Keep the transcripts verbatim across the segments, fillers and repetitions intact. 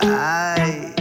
Ay,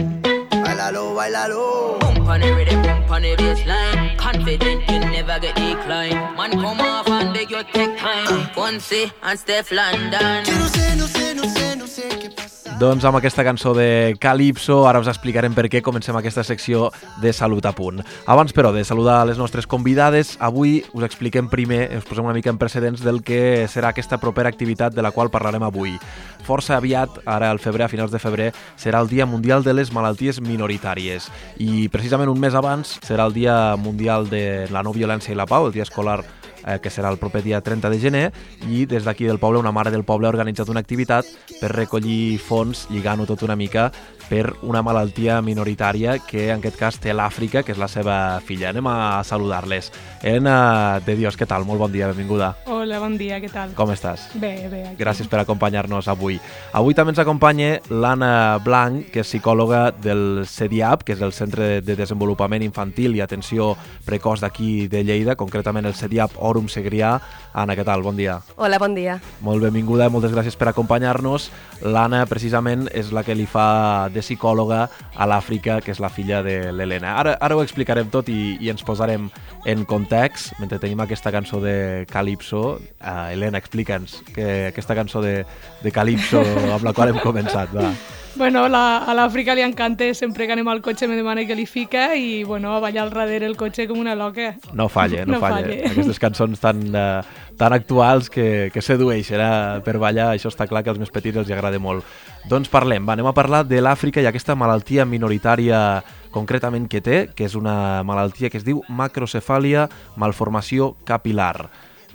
bailalo, bailalo. Bump on the rhythm, bump on the baseline. Confident you never get declined. Man come off and beg you take time. Fonse and Steph London. Yo no sé, no sé, no sé, no sé qué pasa. Doncs amb aquesta cançó de Calypso, ara us explicarem per què comencem aquesta secció de Salut a Punt. Abans, però, de saludar les nostres convidades, avui us expliquem primer, us posem una mica en precedents del que serà aquesta propera activitat de la qual parlarem avui. Força aviat, ara al febrer, a finals de febrer, serà el Dia Mundial de les Malalties Minoritàries i precisament un mes abans serà el Dia Mundial de la No Violència i la Pau, el dia escolar eh, que serà el proper dia trenta de gener, i des d'aquí del poble, una mare del poble ha organitzat una activitat per recollir fons, lligant-ho tot una mica, per una malaltia minoritària que en aquest cas té l'Àfrica, que és la seva filla. Anem a saludar-les. Elena de Dios, què tal? Molt bon dia, benvinguda. Hola, bon dia, què tal? Com estàs? Bé, bé. Aquí. Gràcies per acompanyar-nos avui. Avui també ens acompanya l'Anna Blanc, que és psicòloga del CEDIAP, que és el Centre de Desenvolupament Infantil i Atenció Precoç d'aquí de Lleida, concretament el CEDIAP Òrum Segrià. Anna, què tal? Bon dia. Hola, bon dia. Molt benvinguda, moltes gràcies per acompanyar-nos. L'Anna, precisament, és la que li fa de psicòloga a l'Àfrica, que és la filla de l'Helena. Ara, ara ho explicarem tot i, i ens posarem en context. Mentre tenim aquesta cançó de Calypso, uh, Helena, explica'ns que aquesta cançó de, de Calypso amb la qual hem començat, va. Bueno, la, a l'Àfrica li encanta, sempre que anem al cotxe me demana que li fica i, bueno, a ballar al darrere el cotxe com una loca. No falla, no, no falla. falle. Aquestes cançons tan, uh, tan actuals que, que sedueixen eh, per ballar, això està clar que als més petits els agrada molt. Doncs parlem, va, anem a parlar de l'Àfrica i aquesta malaltia minoritària concretament que té, que és una malaltia que es diu macrocefàlia malformació capilar.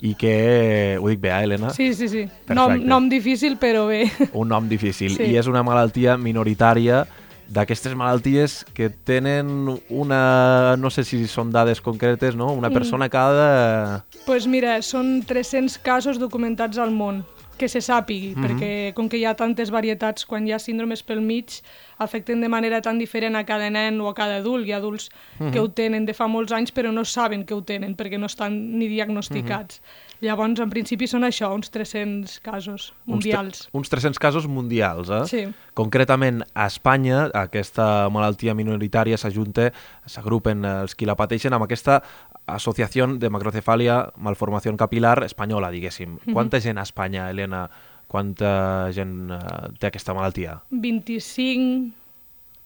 I que... Ho dic bé, eh, Helena? Sí, sí, sí. Nom, nom difícil, però bé. Un nom difícil. Sí. I és una malaltia minoritària d'aquestes malalties que tenen una... No sé si són dades concretes, no? Una persona cada... Doncs pues mira, són tres-cents casos documentats al món, que se sàpigui, mm-hmm. perquè com que hi ha tantes varietats, quan hi ha síndromes pel mig, afecten de manera tan diferent a cada nen o a cada adult. Hi ha adults mm-hmm. que ho tenen de fa molts anys però no saben que ho tenen perquè no estan ni diagnosticats. Mm-hmm. Llavors, en principi, són això, uns tres-cents casos mundials. Uns, tre uns tres-cents casos mundials, eh? Sí. Concretament, a Espanya, aquesta malaltia minoritària s'ajunta, s'agrupen els qui la pateixen amb aquesta Associació de Macrocefàlia Malformació Capilar espanyola, diguéssim. Mm-hmm. Quanta gent a Espanya, Helena, quanta gent uh, té aquesta malaltia? vint-i-cinc...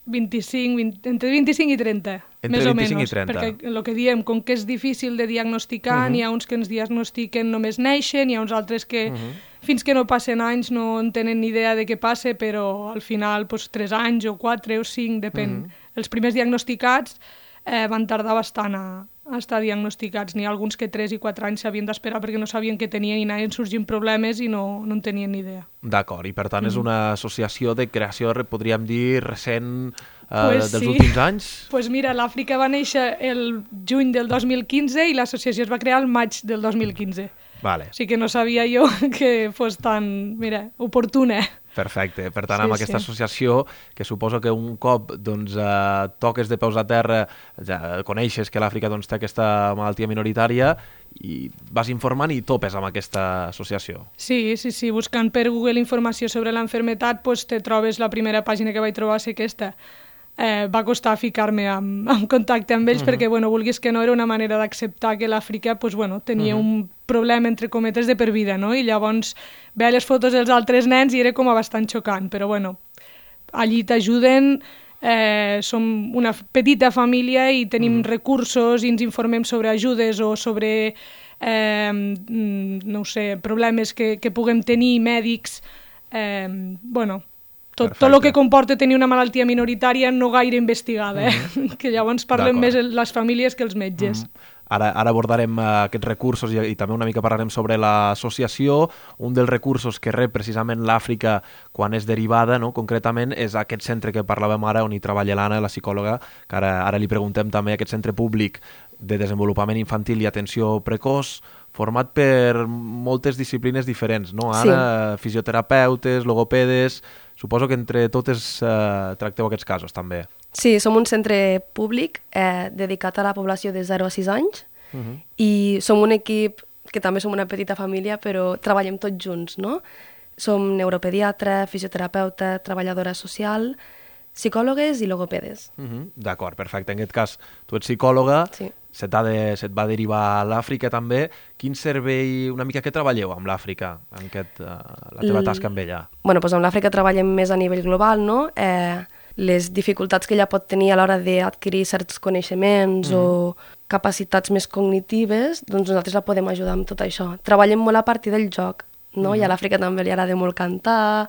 vint-i-cinc, vint, entre vint-i-cinc i trenta, entre més o menys, i trenta. perquè el que diem, com que és difícil de diagnosticar, uh-huh. n'hi ha uns que ens diagnostiquen només neixen, hi ha uns altres que uh-huh. fins que no passen anys no en tenen ni idea de què passa, però al final pues, tres anys o quatre o cinc, depèn. Uh-huh. Els primers diagnosticats eh, van tardar bastant a, a estar diagnosticats. N'hi ha alguns que tres i quatre anys s'havien d'esperar perquè no sabien què tenien i anaven sorgint problemes i no, no en tenien ni idea. D'acord, i per tant mm. és una associació de creació, podríem dir, recent eh, pues dels sí. últims anys? Doncs pues mira, l'Àfrica va néixer el juny del dos mil quinze i l'associació es va crear el maig del dos mil quinze. Vale. O sigui que no sabia jo que fos tan, mira, oportuna. Perfecte. Per tant, sí, amb aquesta sí. associació, que suposo que un cop doncs, eh, toques de peus a terra, ja coneixes que l'Àfrica doncs, té aquesta malaltia minoritària i vas informant i topes amb aquesta associació. Sí, sí, sí. Buscant per Google informació sobre l'enfermetat, pues, te trobes la primera pàgina que vaig trobar ser aquesta. Eh, va costar ficar-me en, en contacte amb ells uh-huh. perquè, bueno, vulguis que no, era una manera d'acceptar que l'Àfrica pues, bueno, tenia uh-huh. un problema, entre cometes, de per vida, no? I llavors veia les fotos dels altres nens i era com a bastant xocant, però bueno, allí t'ajuden, eh, som una petita família i tenim uh-huh. recursos i ens informem sobre ajudes o sobre, eh, no ho sé, problemes que, que puguem tenir, mèdics, eh, bueno... Tot, tot el que comporta tenir una malaltia minoritària no gaire investigada, eh? Mm-hmm. que llavors parlem més les famílies que els metges. Mm-hmm. Ara, ara abordarem uh, aquests recursos i, i també una mica parlarem sobre l'associació. Un dels recursos que rep precisament l'Àfrica quan és derivada, no? Concretament, és aquest centre que parlàvem ara on hi treballa l'Anna, la psicòloga, que ara, ara li preguntem també, aquest centre públic de desenvolupament infantil i atenció precoç, format per moltes disciplines diferents, no? Anna, sí. Fisioterapeutes, logopedes... Suposo que entre totes eh, tracteu aquests casos, també. Sí, som un centre públic eh, dedicat a la població de zero a sis anys uh-huh. i som un equip que també som una petita família, però treballem tots junts, no? Som neuropediatra, fisioterapeuta, treballadora social, psicòlogues i logopedes. Uh -huh. D'acord, perfecte. En aquest cas, tu ets psicòloga, Sí. se't, ha de, se't va derivar a l'Àfrica també. Quin servei, una mica, què treballeu amb l'Àfrica, en aquest, uh, la teva tasca amb ella? Bueno, doncs amb l'Àfrica treballem més a nivell global, no? Eh, les dificultats que ella pot tenir a l'hora d'adquirir certs coneixements mm. o capacitats més cognitives, doncs nosaltres la podem ajudar amb tot això. Treballem molt a partir del joc, no? Mm. I a l'Àfrica també li agrada molt cantar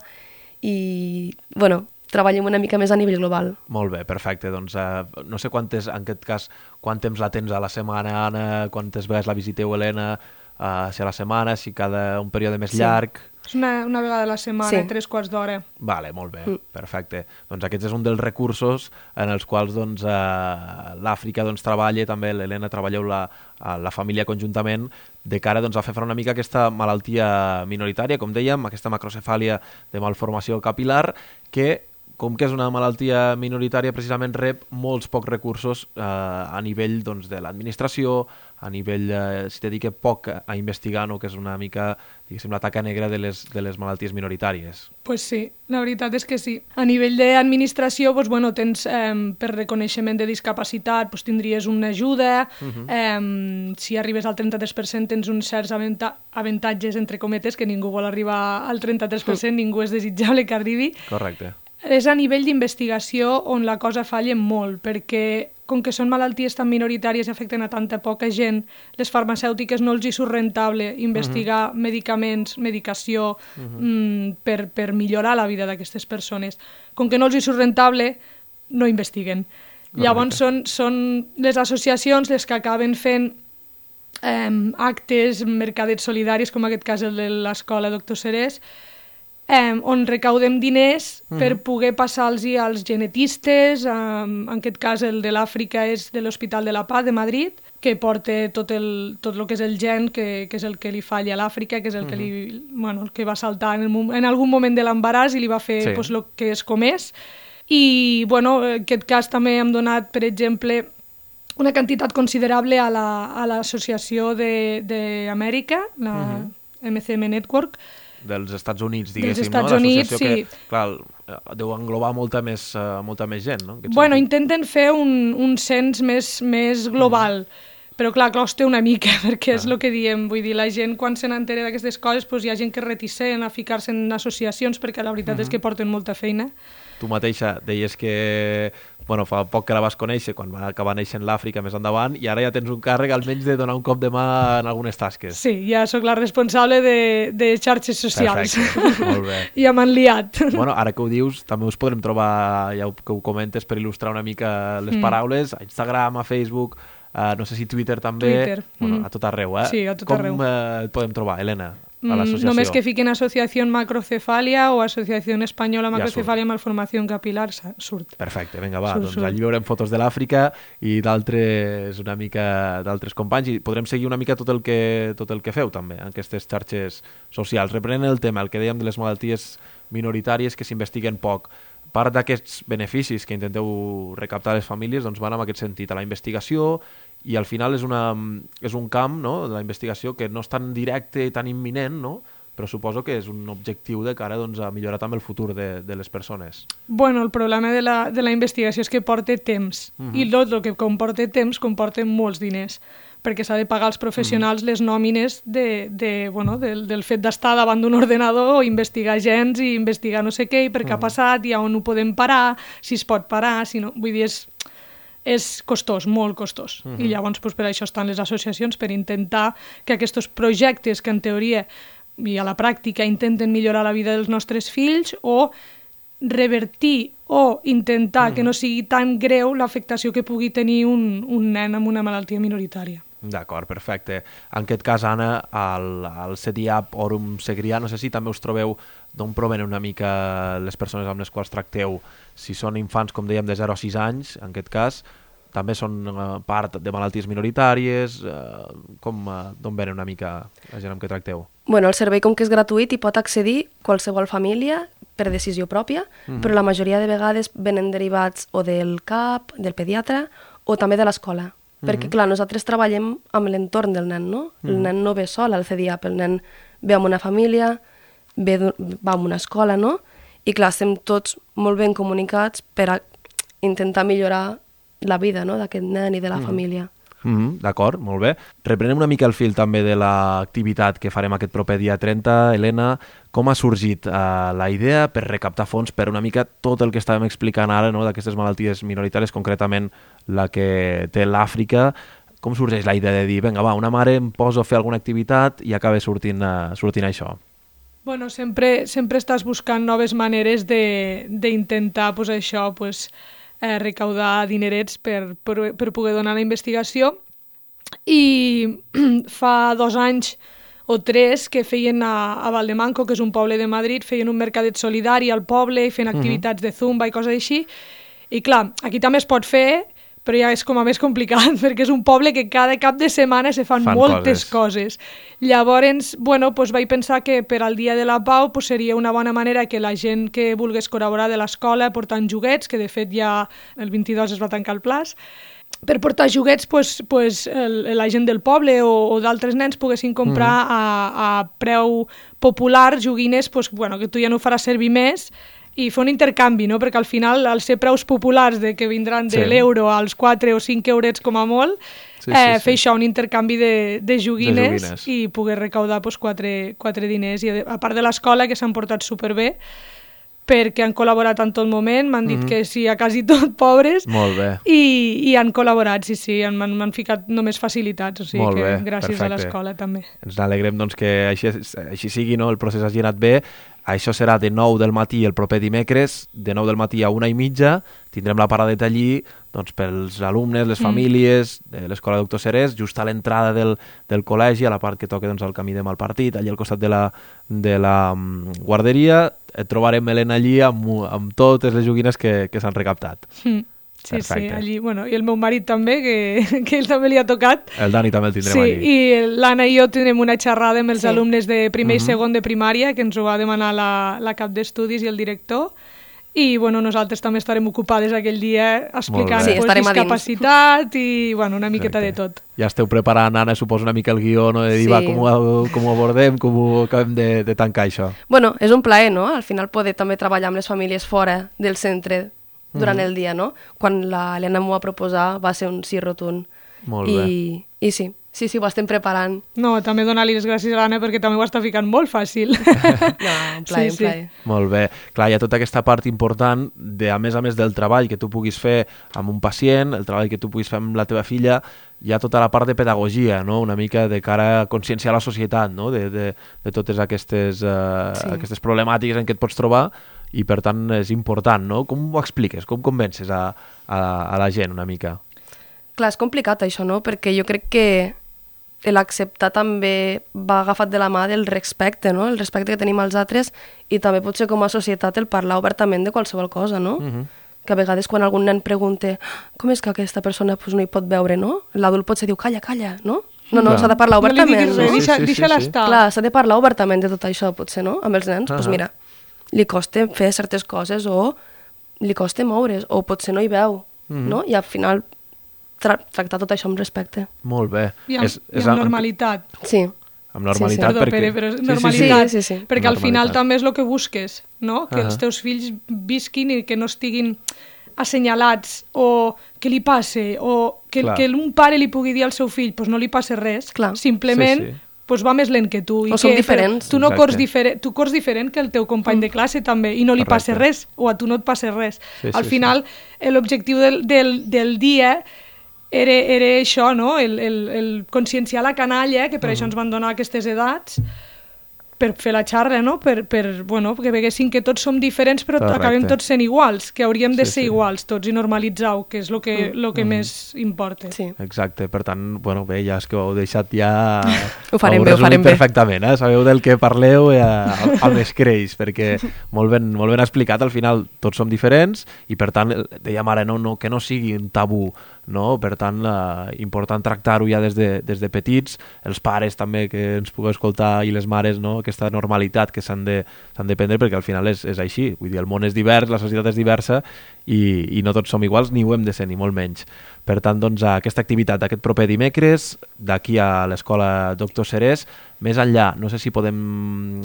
i, bueno, treballem una mica més a nivell global. Molt bé, perfecte. Doncs eh, no sé quantes, en aquest cas, quant temps la tens a la setmana, Anna, quantes vegades la visiteu, Helena, eh, si a la setmana, si cada un període més Sí. llarg... És una, una vegada a la setmana, Sí. tres quarts d'hora. Vale, molt bé, Mm. perfecte. Doncs aquest és un dels recursos en els quals doncs, eh, l'Àfrica doncs, treballa, també l'Helena treballeu la, la família conjuntament, de cara doncs, a fer front una mica a aquesta malaltia minoritària, com dèiem, aquesta macrocefàlia de malformació capil·lar, que com que és una malaltia minoritària, precisament rep molts pocs recursos eh, a nivell doncs, de l'administració, a nivell, eh, si dedica poc a investigar, no? Que és una mica, diguéssim, la taca negra de les, de les malalties minoritàries. Pues sí, la veritat és que sí. A nivell d'administració, pues, bueno, tens eh, per reconeixement de discapacitat, pues, tindries una ajuda, uh-huh. eh, si arribes al trenta-tres per cent tens uns certs aventa avantatges, entre cometes, que ningú vol arribar al trenta-tres per cent, uh. ningú és desitjable que arribi. Correcte. És a nivell d'investigació on la cosa falla molt, perquè com que són malalties tan minoritàries i afecten a tanta poca gent, les farmacèutiques no els hi surt rentable investigar uh -huh. medicaments, medicació, uh -huh. mm, per, per millorar la vida d'aquestes persones. Com que no els hi surt rentable, no investiguen. Correcte. Llavors són, són les associacions les que acaben fent eh, actes, mercadets solidaris, com en aquest cas el de l'escola Doctor Serés, Eh, on recaudem diners uh -huh. per poder passar-los als genetistes, eh, en aquest cas el de l'Àfrica és de l'Hospital de la Paz de Madrid, que porta tot el, tot el que és el gen, que, que és el que li falla a l'Àfrica, que és el, uh -huh. que li, bueno, el que va saltar en, el, en algun moment de l'embaràs i li va fer sí. pues, el que és com és. I bueno, en aquest cas també hem donat, per exemple, una quantitat considerable a l'Associació la, d'Amèrica, la uh -huh. M C M Network, dels Estats Units, diguéssim, dels Estats no? Units, L'associació sí. que, clar, deu englobar molta més, uh, molta més gent, no? Bueno, sentit. Intenten fer un, un cens més, més global, mm. però clar, costa una mica, perquè ah. és el que diem, vull dir, la gent quan se n'entera d'aquestes coses, doncs hi ha gent que és reticent a ficar-se en associacions, perquè la veritat mm -hmm. és que porten molta feina. Tu mateixa deies que, bueno, fa poc que la vas conèixer, quan va acabar néixer l'Àfrica més endavant, i ara ja tens un càrrec almenys de donar un cop de mà en algunes tasques. Sí, ja sóc la responsable de, de xarxes socials. Perfecte, molt bé. Ja m'han liat. Bueno, ara que ho dius, també us podrem trobar, ja que ho comentes, per il·lustrar una mica les mm. paraules, a Instagram, a Facebook, uh, no sé si Twitter també, Twitter. Bueno, Mm. a tot arreu, eh? Sí, a tot Com, arreu. Com uh, et podem trobar, Helena? A Mm, només que fiquen Associació Macrocefàlia o Associació Espanyola Macrocefàlia ja Malformació Capil·lar, surt. Perfecte, vinga, va, surt, doncs surt. allí veurem fotos de l'Àfrica i d'altres una mica d'altres companys i podrem seguir una mica tot el que tot el que feu també en aquestes xarxes socials. Reprenent el tema, el que dèiem de les malalties minoritàries que s'investiguen poc. Part d'aquests beneficis que intenteu recaptar les famílies doncs van en aquest sentit, a la investigació, i al final és, una, és un camp, no?, de la investigació que no és tan directe i tan imminent, no?, però suposo que és un objectiu de cara doncs, a millorar també el futur de, de les persones. Bueno, el problema de la, de la investigació és que porta temps, uh-huh. i tot el que comporta temps comporta molts diners, perquè s'ha de pagar als professionals uh-huh. les nòmines de, de, bueno, del, del fet d'estar davant d'un ordenador o investigar gens i investigar no sé què, i per què uh-huh. ha passat, i on ho podem parar, si es pot parar, si no... Vull dir, és... és costós, molt costós. Uh-huh. I llavors doncs, per això estan les associacions, per intentar que aquests projectes que en teoria i a la pràctica intenten millorar la vida dels nostres fills o revertir o intentar uh-huh. que no sigui tan greu l'afectació que pugui tenir un, un nen amb una malaltia minoritària. D'acord, perfecte. En aquest cas, Anna, al, al CEDIAP Orum Segrià, no sé si també us trobeu d'on provenen una mica les persones amb les quals tracteu. Si són infants, com dèiem, de zero a sis anys, en aquest cas, també són uh, part de malalties minoritàries, uh, com uh, d'on venen una mica la gent amb què tracteu? Bueno, el servei, com que és gratuït, hi pot accedir qualsevol família per decisió pròpia, mm-hmm. però la majoria de vegades venen derivats o del C A P, del pediatre, o també de l'escola. Mm-hmm. Perquè, clar, nosaltres treballem amb l'entorn del nen, no? Mm-hmm. El nen no ve sol al CEDIAP, el nen ve amb una família, ve, va a una escola, no? I clar, estem tots molt ben comunicats per a intentar millorar la vida, no?, d'aquest nen i de la mm. família. Mm -hmm, d'acord, molt bé. Reprenem una mica el fil també de l'activitat que farem aquest proper dia trenta. Helena, com ha sorgit uh, la idea per recaptar fons per una mica tot el que estàvem explicant ara, no?, d'aquestes malalties minoritàries, concretament la que té l'Àfrica? Com sorgeix la idea de dir, vinga, va, una mare em poso a fer alguna activitat i acaba sortint, uh, sortint això? Bueno, sempre, sempre estàs buscant noves maneres d'intentar, pues, això, pues, eh, recaudar dinerets per, per, per poder donar la investigació. I fa dos anys o tres que feien a, a Valdemanco, que és un poble de Madrid, feien un mercadet solidari al poble i feien activitats de zumba i coses així. I clar, aquí també es pot fer, però ja és com a més complicat, perquè és un poble que cada cap de setmana se fan, fan moltes coses. coses. Llavors, bueno, pues vaig pensar que per al Dia de la Pau pues seria una bona manera que la gent que volgués col·laborar de l'escola portant joguets, que de fet ja el vint-i-dos es va tancar el plaç, per portar joguets pues, pues, el, la gent del poble o, o d'altres nens poguessin comprar mm. a, a preu popular joguines pues, bueno, que tu ja no faràs servir més, i fer un intercanvi, no? Perquè al final, al ser preus populars de que vindran de sí. l'euro als quatre o cinc eurets com a molt, sí, eh, sí, fer sí. això, un intercanvi de, de, joguines, de joguines i poder recaudar pues, quatre, quatre diners. I a part de l'escola, que s'han portat superbé, perquè han col·laborat en tot moment, m'han dit mm-hmm. que sí, a quasi tot pobres, molt bé. I, i han col·laborat, sí, sí, m'han ficat només facilitats, o sigui molt que bé, gràcies perfecte. a l'escola també. Ens alegrem doncs, que així, així sigui, no? El procés hagi anat bé. Això serà de nou del matí el proper dimecres, de nou del matí a una i mitja, tindrem la paradeta allí doncs, pels alumnes, les famílies, mm. de l'Escola Doctor Serés, just a l'entrada del, del col·legi, a la part que toca doncs, el camí de Malpartit, allà al costat de la, de la um, guarderia. Et trobarem Helena allí amb, amb totes les joguines que, que s'han recaptat. Mm. Sí, perfecte. Sí, allí, bueno, i el meu marit també, que, que ell també li ha tocat. El Dani també el tindrem sí, allí. Sí, i l'Anna i jo tindrem una xerrada amb els sí. alumnes de primer uh-huh. i segon de primària, que ens ho va demanar la, la cap d'estudis i el director, i bueno, nosaltres també estarem ocupades aquell dia explicant sí, pues, discapacitat i bueno, una miqueta Exacte. de tot. Ja esteu preparant, Anna, suposo una mica el guió, no? De dir, sí. va, com ho, com ho abordem, com ho acabem de, de tancar això. Bueno, és un plaer, no? Al final poder també treballar amb les famílies fora del centre durant mm. el dia, no? Quan l'Helena m'ho va proposar va ser un sí rotund. Molt I, bé. I sí, sí, sí, ho estem preparant. No, també donar-li les gràcies a l'Anna perquè també ho està ficant molt fàcil. No, un plaer, sí, un plaer. Sí. Molt bé. Clar, hi ha tota aquesta part important de, a més a més del treball que tu puguis fer amb un pacient, el treball que tu puguis fer amb la teva filla, hi ha tota la part de pedagogia, no? Una mica de cara a conscienciar la societat, no? De, de, de totes aquestes, uh, sí. aquestes problemàtiques en què et pots trobar, i per tant és important, no? Com ho expliques? Com convences a, a, a la gent una mica? Clar, és complicat això, no? Perquè jo crec que l'acceptar també va agafat de la mà del respecte, no? El respecte que tenim als altres i també potser com a societat el parlar obertament de qualsevol cosa, no? Uh-huh. Que a vegades quan algun nen pregunta com és que aquesta persona pues, no hi pot veure, no? L'adult potser diu calla, calla, no? No, no, s'ha de parlar obertament. No li diguis res, deixa, sí, sí, deixa-la sí, sí. estar. Clar, s'ha de parlar obertament de tot això, potser, no? Amb els nens, doncs uh-huh. pues mira, li costa fer certes coses o li costa moure's o potser no hi veu, mm-hmm. no? I al final tra tractar tot això amb respecte. Molt bé. I amb, és, és i amb normalitat. Sí. Amb normalitat, sí, sí. perquè... Pere, però normalitat, sí, sí, sí, sí. perquè al final també és el que busques, no? Que uh -huh. els teus fills visquin i que no estiguin assenyalats o que li passe o que, que un pare li pugui dir al seu fill pues no li passa res, Clar. simplement... Sí, sí. Pues va més lent que tu. O I som que, diferents. Tu, no cors diferent, tu cors diferent que el teu company mm. de classe també, i no li passa res, o a tu no et passa res. Sí, Al sí, final, sí. l'objectiu del, del, del dia era, era això, no? el, el, el conscienciar la canalla, que per mm. això ens van donar aquestes edats, per fer la xarra, no? Per, per, bueno, perquè veguessin que tots som diferents però Correcte. acabem tots sent iguals, que hauríem de sí, ser sí. iguals tots i normalitzar-ho, que és el que, mm. lo que mm. més importa. Sí. Exacte, per tant, bueno, bé, ja és que ho heu deixat ja... ho farem bé, ho farem bé. Perfectament, eh? Sabeu del que parleu eh, al més creix, perquè molt ben, molt ben explicat, al final tots som diferents i per tant, dèiem ara, no, no, que no sigui un tabú, no? Per tant, eh, important tractar-ho ja des de, des de petits, els pares també que ens pugueu escoltar i les mares, no? Aquesta normalitat que s'han de, s'han de prendre perquè al final és, és així, vull dir, el món és divers, la societat és diversa i, i no tots som iguals, ni ho hem de ser, ni molt menys. Per tant, doncs, aquesta activitat aquest proper dimecres, d'aquí a l'Escola Doctor Serés, més enllà, no sé si podem...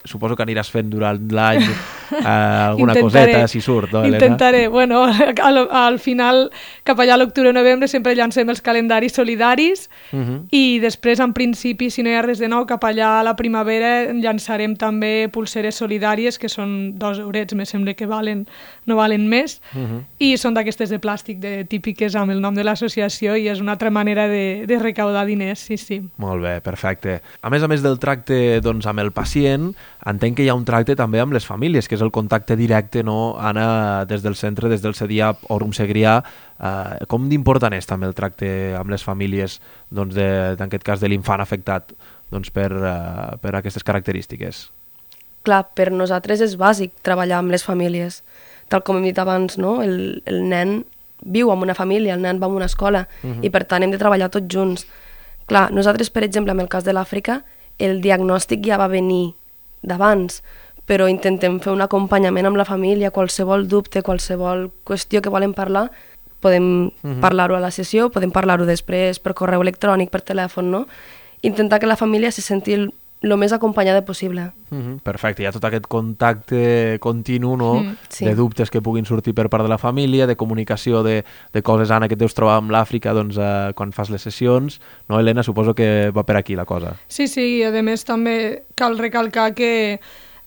Suposo que aniràs fent durant l'any eh, alguna Intentaré. coseta, si surt, no, Helena? Intentaré. Bueno, al, al final, cap allà a l'octubre o novembre, sempre llancem els calendaris solidaris Uh -huh. i després, en principi, si no hi ha res de nou, cap allà a la primavera llançarem també pulseres solidàries, que són dos eurets, me sembla que valen, no valen més, Uh -huh. i són d'aquestes de plàstic, de típiques amb el nom de l'associació, i és una altra manera de, de recaudar diners, sí, sí. Molt bé, perfecte. A més a més del tracte doncs, amb el pacient, entenc que hi ha un tracte també amb les famílies, que és el contacte directe, no, Anna, des del centre, des del C D I A P o Rum Segrià. Eh, com d'important és també el tracte amb les famílies, doncs, de, en aquest cas de l'infant afectat doncs, per, uh, per aquestes característiques? Clar, per nosaltres és bàsic treballar amb les famílies. Tal com hem dit abans, no? el, el nen viu en una família, el nen va a una escola, uh-huh. i per tant hem de treballar tots junts. Clar, nosaltres, per exemple, en el cas de l'Àfrica, el diagnòstic ja va venir d'abans, però intentem fer un acompanyament amb la família, qualsevol dubte, qualsevol qüestió que volen parlar, podem uh-huh. parlar-ho a la sessió, podem parlar-ho després per correu electrònic, per telèfon, no? Intentar que la família se senti el, el més acompanyada possible. Uh-huh. Perfecte, hi ha tot aquest contacte continu, no? Mm, sí. De dubtes que puguin sortir per part de la família, de comunicació de, de coses, Anna, que et deus trobar amb l'Àfrica doncs, eh, quan fas les sessions. No, Helena, suposo que va per aquí la cosa. Sí, sí, i a més també cal recalcar que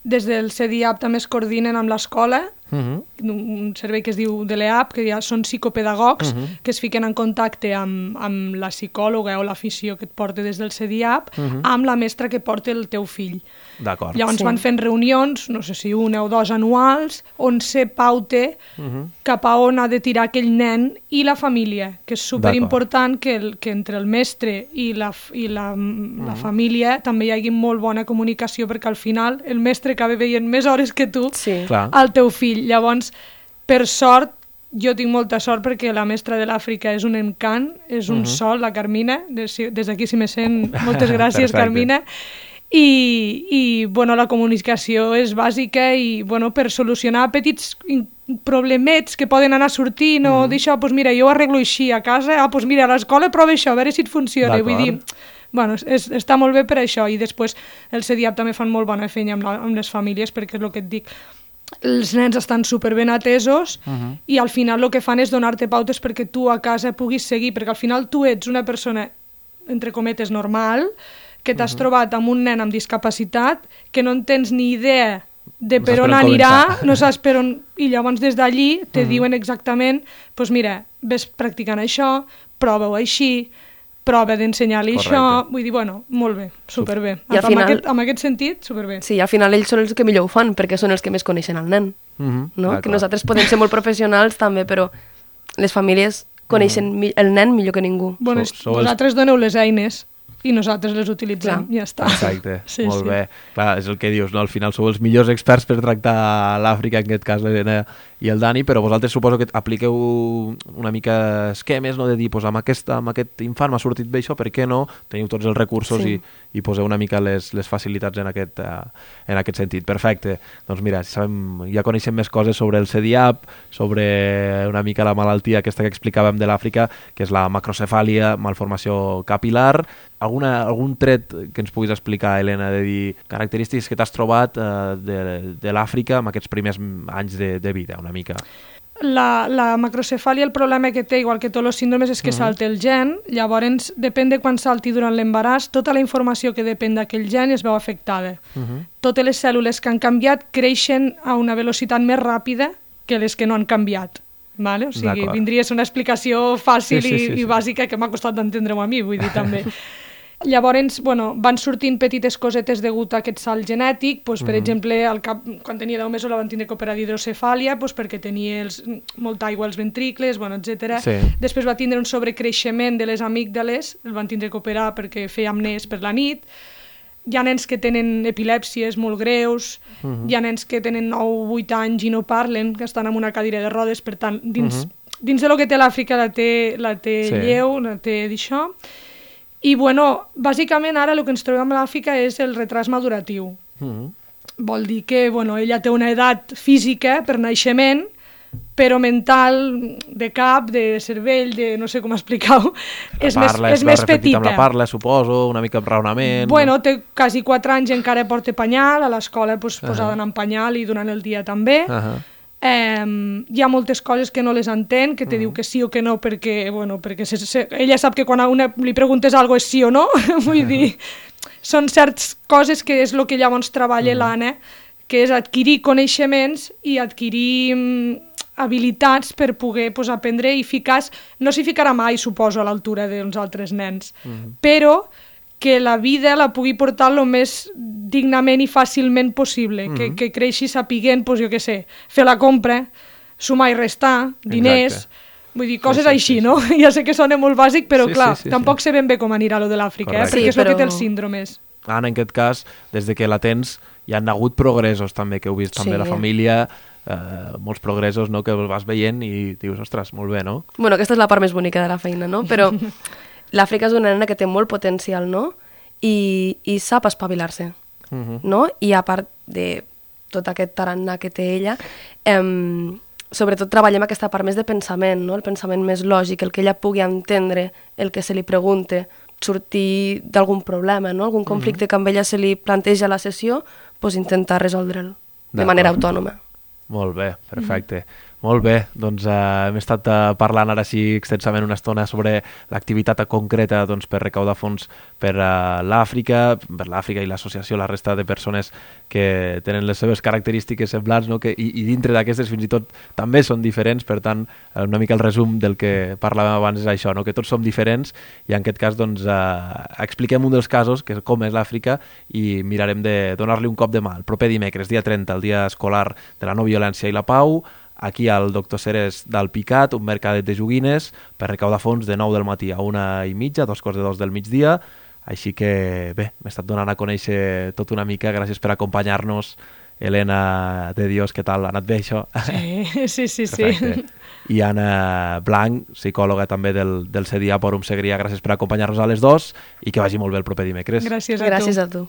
des del C D I A P també es coordinen amb l'escola, Uh-huh. un servei que es diu de l'E A P, que ja són psicopedagogs, Uh-huh. que es fiquen en contacte amb, amb la psicòloga o l'afició que et porta des del C D I A P, Uh-huh. amb la mestra que porta el teu fill. D'acord. Llavors Sí. van fent reunions, no sé si una o dos anuals, on se paute Uh-huh. cap a on ha de tirar aquell nen i la família, que és superimportant que, el, que entre el mestre i la, i la, la família també hi hagi molt bona comunicació, perquè al final el mestre acaba veient més hores que tu Sí. Clar. al teu fill. Llavors, per sort, jo tinc molta sort perquè la mestra de l'Àfrica és un encant, és un Uh-huh. sol, la Carmina, des, des d'aquí si me sent, moltes gràcies, Perfecte. Carmina. I, i bueno, la comunicació és bàsica i bueno, per solucionar petits in- problemets que poden anar sortint o d'això, doncs mira, jo ho arreglo així a casa, ah, doncs mira, a l'escola prova això, a veure si et funciona. Vull dir, bueno, és, està molt bé per això, i després el C D I A P també fan molt bona feina amb, la, amb les famílies, perquè és el que et dic, els nens estan superben atesos Uh-huh. i al final el que fan és donar-te pautes perquè tu a casa puguis seguir, perquè al final tu ets una persona, entre cometes, normal, que t'has uh-huh. trobat amb un nen amb discapacitat, que no en tens ni idea de No per saps on per on anirà, començar. no saps per on... I llavors des d'allí te Uh-huh. diuen exactament, doncs mira, ves practicant això, prova-ho així, prova d'ensenyar-li això, Correcte. vull dir, bueno, molt bé, superbé. I al Amb, final- aquest, amb aquest sentit, superbé. Sí, al final ells són els que millor ho fan, perquè són els que més coneixen el nen. Uh-huh. No? D'acord. Que nosaltres podem ser molt professionals també, però les famílies coneixen mi- el nen millor que ningú. Bueno, Sou- és- sou els- vosaltres doneu les eines i nosaltres les utilitzem, Clar. ja està. Exacte, Sí, molt sí. bé. Clar, és el que dius, no? Al final sou els millors experts per tractar l'Àfrica, en aquest cas l'Helena i el Dani, però vosaltres suposo que apliqueu una mica esquemes, no? De dir, pues, amb, aquest, amb aquest infant m'ha sortit bé això, per què no? Teniu tots els recursos Sí. i, i poseu una mica les, les facilitats en aquest, uh, en aquest sentit. Perfecte. Doncs mira, sabem, ja coneixem més coses sobre el C D I A P, sobre una mica la malaltia aquesta que explicàvem de l'Àfrica, que és la macrocefàlia, malformació capilar. Alguna, algun tret que ens puguis explicar, Helena, de dir característiques que t'has trobat eh, de, de l'Àfrica en aquests primers anys de, de vida, una mica? La, la macrocefàlia, el problema que té, igual que tots els síndromes, és que uh-huh. salta el gen, llavors, depèn de quan salti durant l'embaràs, tota la informació que depèn d'aquell gen es veu afectada. Uh-huh. Totes les cèl·lules que han canviat creixen a una velocitat més ràpida que les que no han canviat. Vale? O sigui, D'acord. vindria a ser una explicació fàcil Sí, sí, sí, i, sí. i bàsica que m'ha costat d'entendre-ho a mi, vull dir, també. Llavors, bueno, van sortint petites cosetes degut a aquest salt genètic, doncs, per Mhm. exemple, al cap, quan tenia deu mesos la van tindre que operar d'hidrocefàlia, doncs, perquè tenia els, molta aigua als ventricles, bueno, etcètera. Sí. Després va tindre un sobrecreixement de les amígdales, el van tindre que operar perquè feia amnés per la nit. Hi ha nens que tenen epilèpsies molt greus, Mhm. hi ha nens que tenen nou o vuit anys i no parlen, que estan en una cadira de rodes, per tant, dins, Mhm. dins de lo que té l'Àfrica la té, la té Sí. lleu, la té d'això. I, bueno, bàsicament ara el que ens trobem a l'Àfrica és el retras maduratiu. Uh-huh. Vol dir que, bueno, ella té una edat física per naixement, però mental, de cap, de cervell, de no sé com explicar-ho, és més, parla, és més petita. Amb la parla, suposo, una mica amb raonament... Bueno, té quasi quatre anys i encara porta panyal, a l'escola pues, uh -huh. posada en panyal i durant el dia també. Uh -huh. eh, hi ha moltes coses que no les entén, que te uh -huh. diu que sí o que no, perquè, bueno, perquè se, se, ella sap que quan a una li preguntes alguna cosa és sí o no, vull dir, són certes coses que és el que llavors treballa uh -huh. l'Anna, que és adquirir coneixements i adquirir habilitats per poder pues, aprendre i ficar... No s'hi ficarà mai, suposo, a l'altura dels altres nens, mm-hmm. però que la vida la pugui portar el més dignament i fàcilment possible, mm-hmm. que, que creixi sapiguent, pues, jo què sé, fer la compra, sumar i restar, diners... Exacte. Vull dir, coses sí, sí, així, sí, sí. no? Ja sé que sona molt bàsic, però sí, clar, sí, sí, tampoc sí. sé ben bé com anirà lo de l'Àfrica, eh? perquè sí, és el però... que té els síndromes. Anna, en aquest cas, des de que la tens, hi han hagut progressos també, que heu vist també sí. la família, eh, molts progressos no? que vas veient i dius, ostres, molt bé, no? Bueno, aquesta és la part més bonica de la feina, no? Però l'Àfrica és una nena que té molt potencial, no? I, i sap espavilar-se, uh-huh. no? I a part de tot aquest tarannà que té ella, eh, sobretot treballem aquesta part més de pensament, no? El pensament més lògic, el que ella pugui entendre el que se li pregunte, sortir d'algun problema, no? Algun conflicte uh-huh. que amb ella se li planteja a la sessió, pues intentar resoldre'l de manera autònoma. Molt bé, perfecte. Mm-hmm. Molt bé, doncs uh, hem estat uh, parlant ara sí extensament una estona sobre l'activitat concreta doncs, per recaudar fons per uh, l'Àfrica, per l'Àfrica i l'associació, la resta de persones que tenen les seves característiques semblants, no? que, i, i dintre d'aquestes fins i tot també són diferents, per tant, una mica el resum del que parlàvem abans és això, no? que tots som diferents i en aquest cas doncs, uh, expliquem un dels casos, que és com és l'Àfrica, i mirarem de donar-li un cop de mà. El proper dimecres, dia trenta, el dia escolar de la no violència i la pau, aquí al Doctor Ceres d'Alpicat, un mercadet de joguines per recaudar fons de nou del matí a una i mitja, dos quarts de dos del migdia. Així que bé, m'he estat donant a conèixer tot una mica. Gràcies per acompanyar-nos. Helena de Dios, què tal? Ha anat bé això? Sí, sí, sí. sí. I Anna Blanc, psicòloga també del, del C D A Fòrum Segrià. Gràcies per acompanyar-nos a les dos i que vagi molt bé el proper dimecres. Gràcies a tu. Gràcies a tu.